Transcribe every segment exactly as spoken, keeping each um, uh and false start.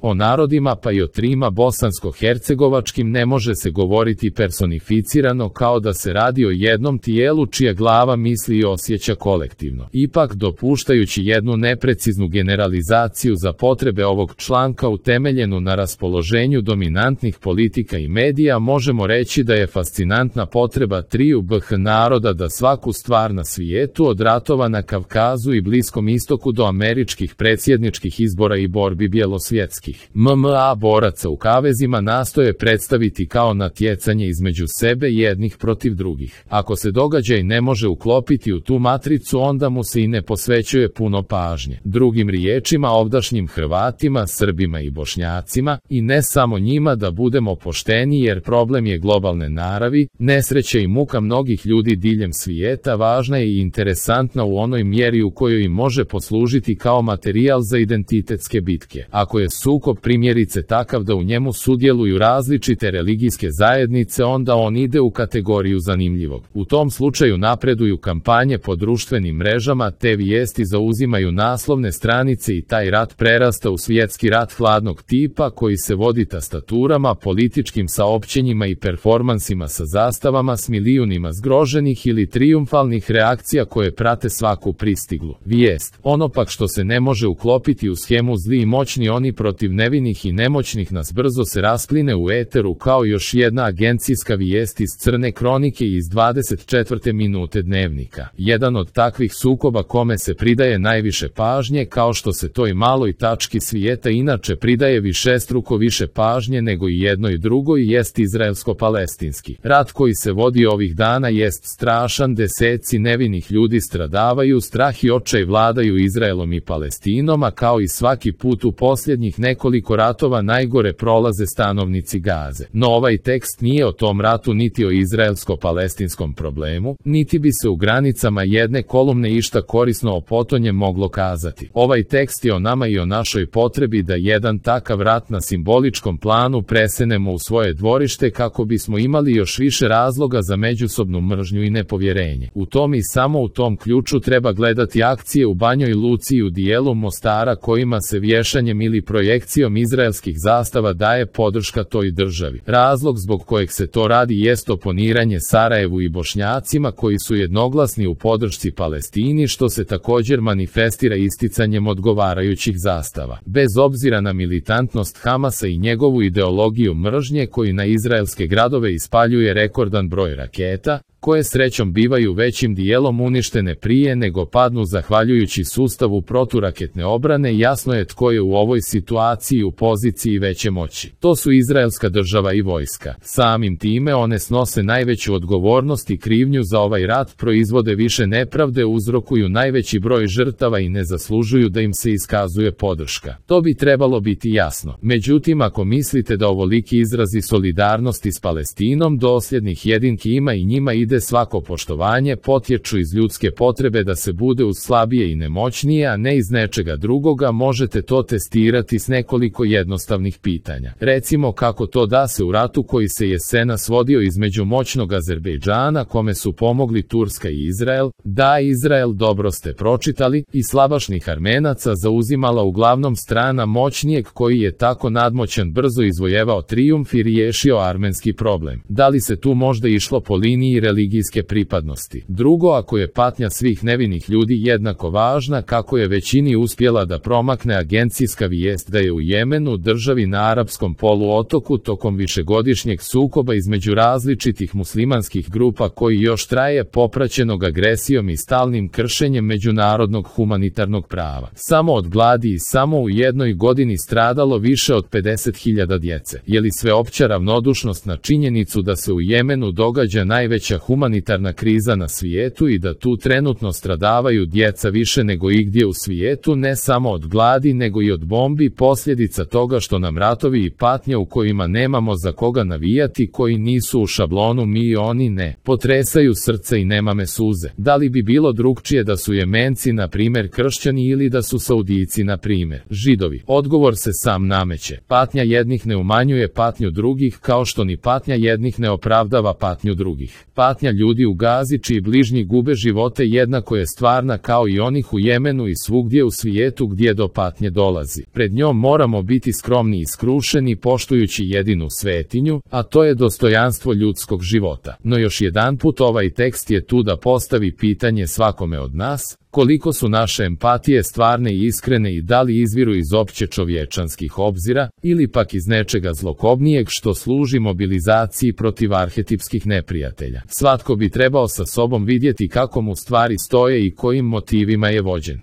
O narodima pa i o trima bosansko-hercegovačkim ne može se govoriti personificirano kao da se radi o jednom tijelu čija glava misli i osjeća kolektivno. Ipak, dopuštajući jednu nepreciznu generalizaciju za potrebe ovog članka utemeljenu na raspoloženju dominantnih politika i medija, možemo reći da je fascinantna potreba triju B H naroda da svaku stvar na svijetu od ratova na Kavkazu i Bliskom istoku do američkih predsjedničkih izbora i borbi bjelosvjetskih M M A boraca u kavezima nastoje predstaviti kao natjecanje između sebe jednih protiv drugih. Ako se događaj ne može uklopiti u tu matricu, onda mu se i ne posvećuje puno pažnje. Drugim riječima, ovdašnjim Hrvatima, Srbima i Bošnjacima, i ne samo njima, da budemo pošteni, jer problem je globalne naravi, nesreća i muka mnogih ljudi diljem svijeta važna je i interesantna u onoj mjeri u kojoj im može poslužiti kao materijal za identitetske bitke. Ako je sukob primjerice takav da u njemu sudjeluju različite religijske zajednice, onda on ide u kategoriju zanimljivog. U tom slučaju napreduju kampanje po društvenim mrežama, te vijesti zauzimaju naslovne stranice i taj rat prerasta u svjetski rat hladnog tipa koji se vodi tastaturama, političkim saopćenjima i performansima sa zastavama s milijunima zgroženih ili trijumfalnih reakcija koje prate svaku pristiglu vijest. Ono pak što se ne može uklopiti u schemu zli i moćni oni protiv nevinih i nemoćnih nas brzo se raspline u eteru kao još jedna agencijska vijest iz crne kronike iz dvadeset četvrte minute dnevnika. Jedan od takvih sukoba kome se pridaje najviše pažnje, kao što se toj maloj tački svijeta inače pridaje višestruko više pažnje nego i jedno i drugo, i jest izraelsko-palestinski. Rat koji se vodi ovih dana jest strašan, deseci nevinih ljudi stradavaju, strah i očaj vladaju Izraelom i Palestinom, a kao i svaki put u posljednjih nekoliko ratova najgore prolaze stanovnici Gaze. No ovaj tekst nije o tom ratu niti o izraelsko-palestinskom problemu, niti bi se u granicama jedne kolumne išta korisno o potonjem moglo kazati. Ovaj tekst je o nama i o našoj potrebi da jedan takav rat na simboličkom planu presenemo u svoje dvorište kako bismo imali još više razloga za međusobnu mržnju i nepovjerenje. U tom i samo u tom ključu treba gledati akcije u Banjoj Luci i u dijelu Mostara kojima se vješanjem ili projekcijom izraelskih zastava daje podrška toj državi. Razlog zbog kojeg se to radi jest oponiranje Sarajevu i Bošnjacima koji su jednoglasni u podršci Palestini, što se također manifestira isticanjem odgovarajućih zastava. Bez obzira na militantnost Hamasa i njegovu ideologiju mržnje koji na izraelske gradove ispaljuje rekordan broj raketa, koje srećom bivaju većim dijelom uništene prije nego padnu zahvaljujući sustavu proturaketne obrane, jasno je tko je u ovoj situaciji u poziciji veće moći. To su izraelska država i vojska. Samim time one snose najveću odgovornost i krivnju za ovaj rat, proizvode više nepravde, uzrokuju najveći broj žrtava i ne zaslužuju da im se iskazuje podrška. To bi trebalo biti jasno. Međutim, ako mislite da ovoliki izrazi solidarnosti s Palestinom dosljednih jedinki ima i njima ide svako poštovanje, potječu iz ljudske potrebe da se bude uz slabije i nemoćnije, a ne iz nečega drugoga, možete to testirati s nekoliko jednostavnih pitanja. Recimo, kako to da se u ratu koji se jesenas vodio između moćnog Azerbejdžana, kome su pomogli Turska i Izrael, da Izrael, dobro ste pročitali, i slabašnih Armenaca zauzimala uglavnom strana moćnijeg koji je tako nadmoćan brzo izvojevao trijumf i riješio armenski problem. Da li se tu možda išlo po liniji religijske pripadnosti? Drugo, ako je patnja svih nevinih ljudi jednako važna kako je većini uspjela da promakne agencijska vijest da je u Jemenu, državi na arapskom poluotoku, tokom višegodišnjeg sukoba između različitih muslimanskih grupa koji još traje, popraćenog agresijom i stalnim kršenjem međunarodnog humanitarnog prava, samo od gladi i samo u jednoj godini stradalo više od pedeset hiljada djece. Je li sveopća ravnodušnost na činjenicu da se u Jemenu događa najveća humanitarna kriza na svijetu i da tu trenutno stradavaju djeca više nego igdje u svijetu, ne samo od gladi nego i od bombi, posljedica toga što nam ratovi i patnje u kojima nemamo za koga navijati, koji nisu u šablonu mi i oni ne, potresaju srce i nemame suze? Da li bi bilo drugčije da su Jemenci na primjer kršćani ili da su Saudijci na primjer Židovi? Odgovor se sam nameće. Patnja jednih ne umanjuje patnju drugih, kao što ni patnja jednih ne opravdava patnju drugih. Patnja patnja ljudi u Gazi čiji bližnji gube živote jednako je stvarna kao i onih u Jemenu i svugdje u svijetu gdje do patnje dolazi. Pred njom moramo biti skromni i skrušeni poštujući jedinu svetinju, a to je dostojanstvo ljudskog života. No još jedanput ovaj tekst je tu da postavi pitanje svakome od nas, koliko su naše empatije stvarne i iskrene i da li izviru iz opće čovječanskih obzira, ili pak iz nečega zlokobnijeg što služi mobilizaciji protiv arhetipskih neprijatelja. Svatko bi trebao sa sobom vidjeti kako mu stvari stoje i kojim motivima je vođen.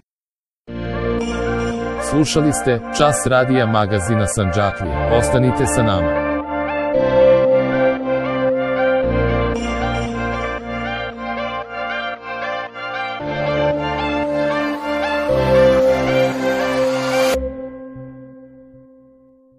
Slušali ste Čas radija magazina Sandžaklije. Ostanite sa nama.